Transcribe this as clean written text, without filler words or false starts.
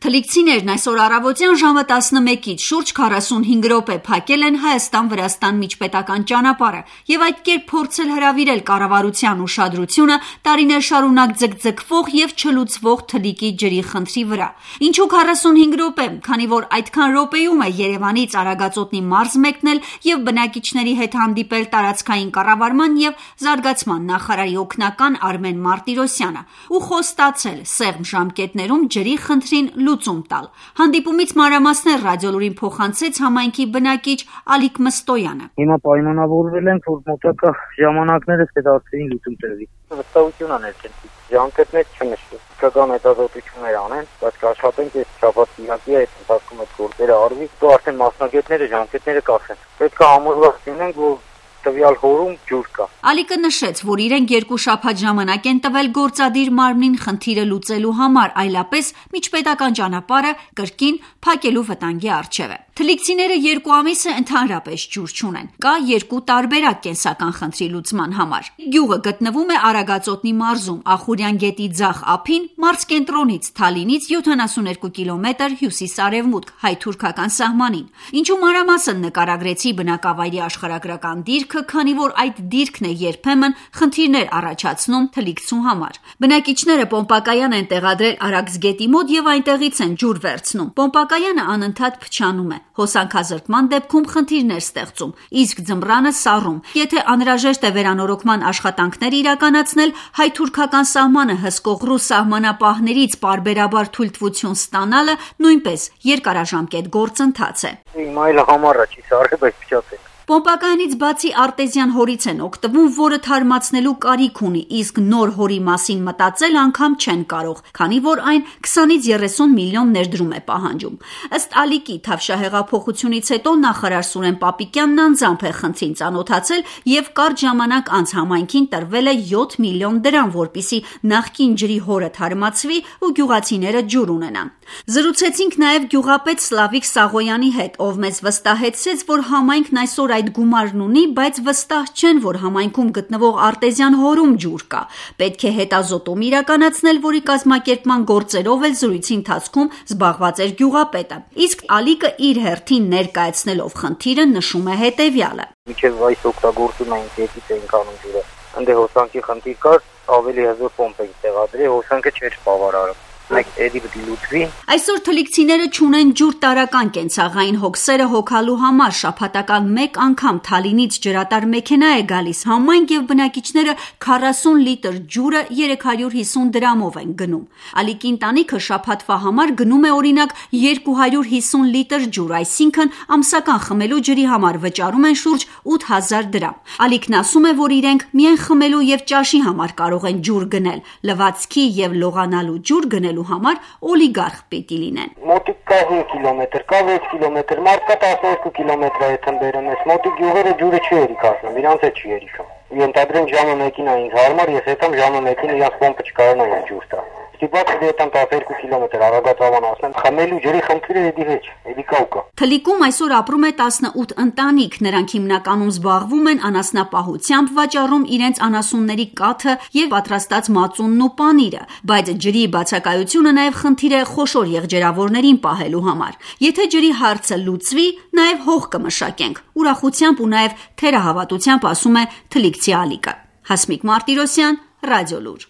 Թլիկցիներն այսօր առավոտյան ժամը 11-ից շուրջ 45 րոպե փակել են Հայաստան-Վրաստան միջպետական ճանապարհը եւ այդ կերպ փորձել հրավիրել կառավարության ուշադրությունը տարիներ շարունակ ձգձգվող եւ չլուծվող Թլիկի ջրի խնդրի վրա։ Ինչու 45 րոպե, քանի որ այդքան րոպեում է Երևանից Արագածոտնի մարզ մեկնել եւ բնակիչների հետ հանդիպել տարածքային կառավարման եւ զարգացման նախարարի օգնական Արմեն Մարտիրոսյանը ու խոստացել սեղմ ժամկետներում ջրի խնդրին լուծում տալ։ Հանդիպումից մանրամասներ Ռադիոլուրին փոխանցեց համայնքի բնակիչ Ալիկ Մստոյանը։ Հիմա պայմանավորվել ենք, որ մոտակա ժամանակներս կդարձվին լուծում տրվի։ Վստահություն է ներկայացնում։ Ժամկետներ չնշվի։ Քական հետազոտություններ անեն, բայց կաշխատենք այս շաբաթ-կիրակի այդ ընթացքում այդ գործերը արվի, ու արդեն մասնագետները ժամկետները կասեն։ Պետք է համոզված լինենք, որ տվյալ հորում ջուր կա։ Ալիկը նշեց, որ իրենք 2 շաբաթ ժամանակ են տվել գործադիր մարմնին խնդիրը լուծելու համար, այլապես միջպետական ճանապարհը կրկին փակելու վտանգի առջև է։ Թլիկցիները 2 ամիս է ընդհանրապես ջուր չունեն։ Կա 2 տարբերակ կենսական խնդրի լուծման համար։ Գյուղը գտնվում է Արագածոտնի մարզում, Ախուրյան գետի ձախ ափին, մարզկենտրոնից Թալինից 72 կիլոմետր հյուսիս-արևմուտք հայ-թուրքական սահմանին։ Ինչու մանրամասն նկարագրեցի բնակավայրի աշխարհագրական դիրքը, քանի որ այդ դիրքն է երբեմն խնդիրներ առաջացնում թլիկցու համար։ Բնակիչները պոմպակայան են տեղադրել Արաքս գետի մոտ եւ այնտեղից են ջուր վերցնում։ Պոմպակայանը անընդհատ փչանում է։ Հոսանքազրկման դեպքում խնդիրներ ստեղծում, իսկ ձմռանը սառում։ Եթե անհրաժեշտ է վերանորոգման աշխատանքներ իրականացնել, հայ-թուրքական սահմանը հսկող ռուս սահմանապահներից պարբերաբար թույլտվություն ստանալը նույնպես երկարաժամկետ գործընթաց է։ Հիմա այլ համառա չի սարը, բայց փչացել։ Պոմպակայանից բացի արտեզյան հորից են օգտվում, որը թարմացնելու կարիք ունի, իսկ նոր հորի մասին մտածել անգամ չեն կարող, քանի որ այն 20-ից 30 միլիոն ներդրում է պահանջում։ Ըստ Ալիկի, Թավշահեղափոխությունից հետո նախարար Սուրեն Պապիկյանն անձամբ է խնդրին ծանոթացել եւ կարճ ժամանակ անց համայնքին տրվել է 7 միլիոն դրամ, որպիսի նախկին ջրի հորը թարմացվի ու գյուղացիները ջուր ունենան։ Զրուցեցինք նաև գյուղապետ Սլավիկ Սաղոյանի հետ, ով մեզ վստահեցրեց, որ համայնքն այսօր այդ գումարն ունի, բայց վստահ չեն, որ համայնքում գտնվող արտեզյան հորում ջուր կա։ Պետք է հետազոտում իրականացնել, որի կազմակերպման գործերով էլ զրույցի ընթացքում զբաղված էր գյուղապետը։ Իսկ Ալիկը իր հերթին ներկայացնելով խնդիրը նշում է հետևյալը։ Մինչև այս օգտագործում էին գետից էին կանում ջուրը։ Ընդ հոսանքի խնդիր կար, ավելի հզոր պոմպ էին տեղադրել, հոսանքը չէր բավարարում։ Այսօր թլիկցիները չունեն ջուր տարական կենցաղային հոգսերը հոգալու համար, շաբաթական մեկ անգամ Թալինից ջրատար մեքենա է գալիս համայնք եւ բնակիչները 40 լիտր ջուրը 350 դրամով են գնում։ Ալիկի ընտանիքը շաբաթվա համար գնում է օրինակ 250 լիտր ջուր, այսինքն ամսական խմելու ջրի համար վճարում են շուրջ 8000 դրամ։ Ալիկն ասում է, որ իրենք միայն խմելու եւ ճաշի համար կարող են ջուր գնել, լվացքի եւ լողանալու ջուր գնել համար օլիգարխ պիտի լինեն։ Մոտիկ կա 5 կիլոմետր, կա 6 կիլոմետր, մարդ կա 12 կիլոմետր է թմբերում ես, մոտիկ գյուղերը ջուրը չի երիքացնում, իրանց է չի երիքում։ Ենթադրենք ժամը մեկին է ինձ հարմար, ես հետամ ժամը մեկին իրանց պոմպը չկարողանա ջուր տա։ Ստիպված դետան 12 կիլոմետր Արագածավան ասեմ, խմելու ջրի խնդիրը էդի վեճ, էդի կա ու կա։ Թլիկում այսօր ապրում է 18 ընտանիք, նրանք հիմնականում զբաղվում են անասնապահությամբ, վաճառում իրենց անասունների կաթը եւ պատրաստած մածունն ու պանիրը, բայց ջրի բացակայությունը նաեւ խնդիր է խոշոր եղջերավորներին պահելու համար։ Եթե ջրի հարցը լուծվի, նաեւ հող կմշակենք։ Ուրախությամբ ու նաեւ թերահավատությամբ ասում է թլիկցի Ալիկը։ Հասմիկ Մարտիրոսյան, Ռադիոլուր։